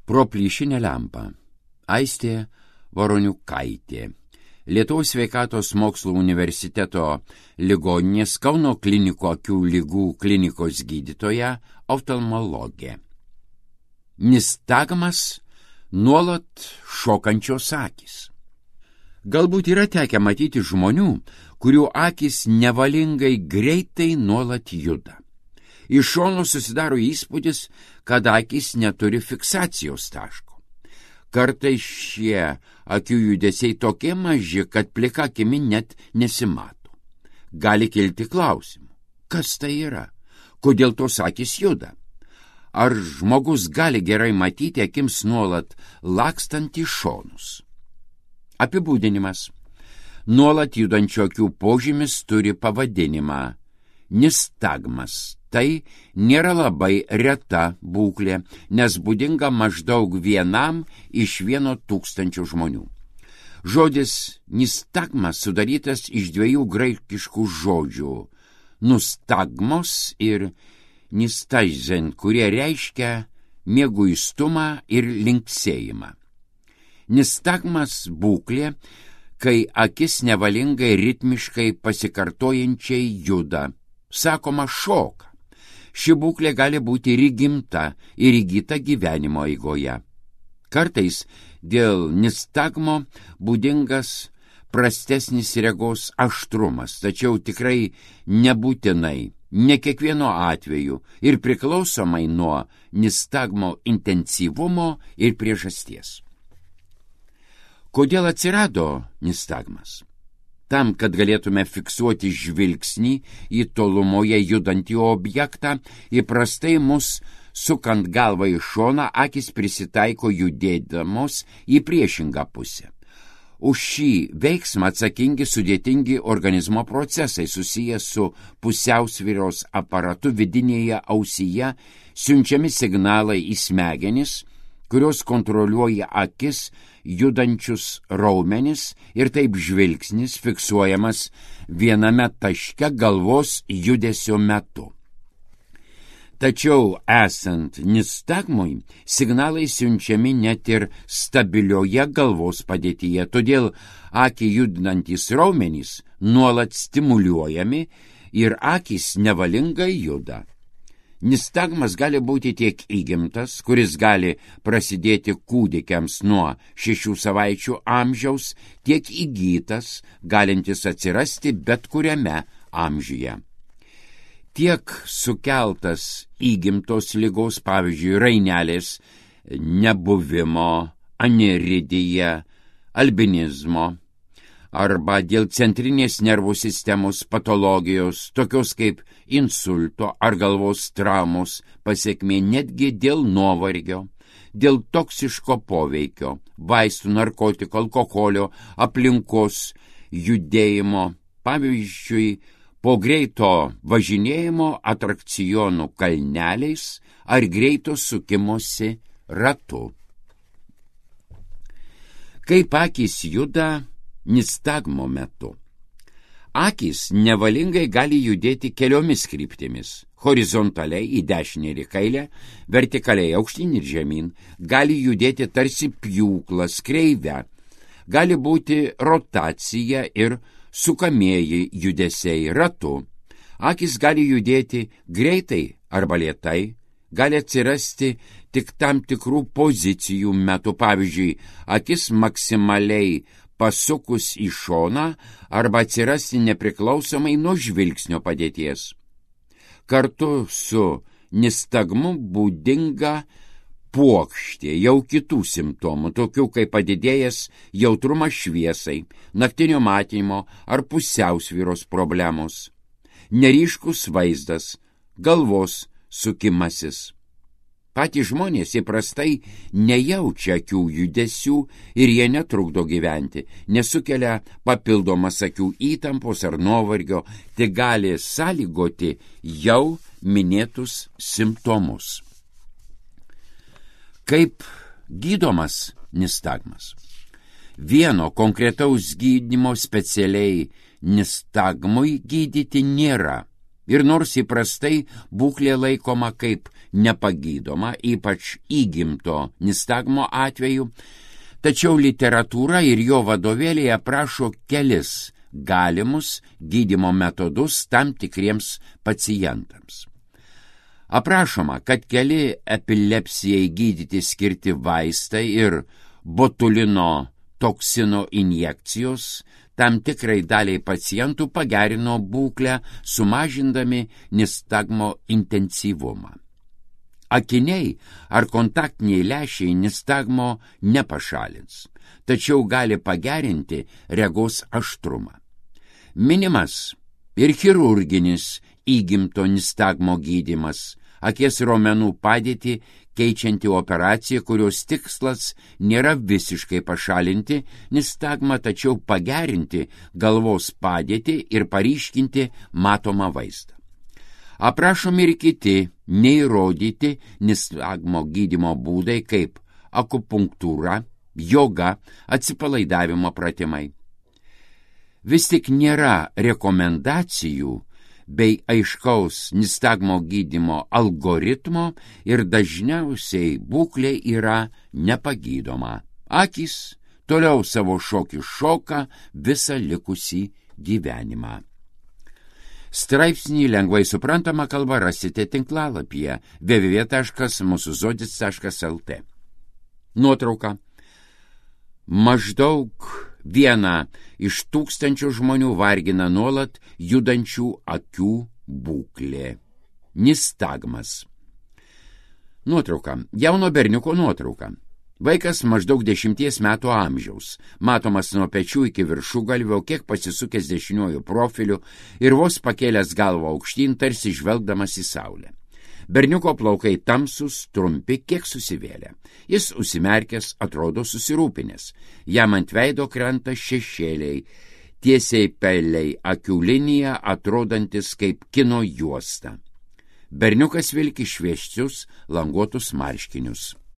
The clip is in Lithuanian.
Pro plyšinę lempą. Aistė Voroniukaitė. Lietuvos sveikatos mokslų universiteto ligoninės Kauno klinikų akių ligų klinikos gydytoja, oftalmologė. Nistagmas nuolat šokančios akys. Galbūt yra tekę matyti žmonių, kurių akys nevalingai greitai nuolat juda. Iš šono susidaro įspūdis, kad akys neturi fiksacijos taško. Kartais šie akių judesiai tokie maži, kad plika akimi net nesimato. Gali kilti klausimų. Kas tai yra? Kodėl tos akys juda? Ar žmogus gali gerai matyti akims nuolat lakstant į šonus? Apibūdinimas. Nuolat judančio akių požymis turi pavadinimą nistagmas. Tai nėra labai reta būklė, nes būdinga maždaug 1 iš 1,000 žmonių. Žodis nistagmas sudarytas iš 2 graikiškų žodžių – nustagmos ir nistaizen, kurie reiškia mieguistumą ir linksėjimą. Nistagmas būklė, kai akis nevalingai ritmiškai pasikartojančiai juda, sakoma šoka. Ši būklė gali būti ir įgimta, ir įgyta gyvenimo eigoje. Kartais dėl nistagmo būdingas prastesnis regos aštrumas, tačiau tikrai nebūtinai, ne kiekvieno atveju ir priklausomai nuo nistagmo intensyvumo ir priežasties. Kodėl atsirado nistagmas? Tam, kad galėtume fiksuoti žvilgsnį į tolumoje judantį objektą, įprastai mus sukant galvą į šoną, akis prisitaiko judėdamos į priešingą pusę. Už šį veiksmą atsakingi sudėtingi organizmo procesai susiję su pusiausvyros aparatu vidinėje ausyje, siunčiami signalai į smegenis, kurios kontroliuoja akis, judančius raumenis ir taip žvilgsnis fiksuojamas viename taške galvos judesio metu. Tačiau esant nistagmui, signalai siunčiami net ir stabilioje galvos padėtyje, todėl akį judantys raumenys nuolat stimuliuojami ir akys nevalingai juda. Nistagmas gali būti tiek įgimtas, kuris gali prasidėti kūdikiams nuo 6 savaičių amžiaus, tiek įgytas, galintis atsirasti bet kuriame amžiuje. Tiek sukeltas įgimtos ligos, pavyzdžiui, rainelės nebuvimo, aniridija, albinizmo, arba dėl centrinės nervų sistemos patologijos, tokios kaip insulto ar galvos traumos pasekmė, netgi dėl nuovargio, dėl toksiško poveikio, vaistų, narkotikų, alkoholio, aplinkos, judėjimo, pavyzdžiui, po greito važinėjimo atrakcionų kalneliais ar greito sukimosi ratu. Kaip akys juda nistagmo metu? Akys nevalingai gali judėti keliomis kryptimis – horizontaliai į dešinę ir į kairę, vertikaliai aukštyn ir žemyn, gali judėti tarsi pjūklas kreivę, gali būti rotacija ir sukamieji judesiai ratu. Akys gali judėti greitai arba lėtai, gali atsirasti tik tam tikrų pozicijų metu, pavyzdžiui, akis maksimaliai pasukus į šoną arba atsirasti nepriklausomai nuo žvilgsnio padėties. Kartu su nistagmu būdinga puokštė jau kitų simptomų, tokių kaip padidėjęs jautrumas šviesai, naktinio matymo ar pusiausvyros problemos, neryškus vaizdas, galvos sukimasis. Patys žmonės įprastai nejaučia akių judesių ir jie netrukdo gyventi, nesukelia papildomas akių įtampos ar nuovargio, tik gali sąlygoti jau minėtus simptomus. Kaip gydomas nistagmas? Vieno konkretaus gydymo specialiai nistagmui gydyti nėra. Ir nors įprastai būklė laikoma kaip nepagydoma, ypač įgimto nistagmo atveju, tačiau literatūra ir jo vadovėliai aprašo kelis galimus gydymo metodus tam tikriems pacientams. Aprašoma, kad keli epilepsijai gydyti skirti vaistai ir botulino toksino injekcijos tam tikrai daliai pacientų pagerino būklę, sumažindami nistagmo intensyvumą. Akiniai ar kontaktiniai lęšiai nistagmo nepašalins, tačiau gali pagerinti regos aštrumą. Minimas ir chirurginis įgimto nistagmo gydymas, akies raumenų padėtį keičianti operacija, kurios tikslas nėra visiškai pašalinti nistagmą, tačiau pagerinti galvos padėtį ir paryškinti matomą vaizdą. Aprašomi ir kiti neįrodyti nistagmo gydymo būdai kaip akupunktūra, joga, atsipalaidavimo pratimai. Vis tik nėra rekomendacijų bei aiškaus nistagmo gydymo algoritmo ir dažniausiai būklė yra nepagydoma. Akys toliau savo šokį šoka visą likusį gyvenimą. Straipsnį lengvai suprantama kalba rasite tinklalapyje www.musuzodis.lt. Nuotrauka. Maždaug 1 iš 1000 žmonių vargina nuolat judančių akių būklė. Nistagmas. Nuotrauka. Jauno berniuko nuotrauka. Vaikas maždaug 10 metų amžiaus, matomas nuo pečių iki viršugalvio, kiek pasisukęs dešiniuoju profiliu ir vos pakėlęs galvą aukštyn, tarsi žvelgdamas į saulę. Berniuko plaukai tamsus, trumpi, kiek susivėlę. Jis užsimerkęs, atrodo susirūpinęs. Jam ant veido krenta šešėliai, tiesiai peliai akių linija, atrodantis kaip kino juosta. Berniukas vilki šviesius languotus marškinius.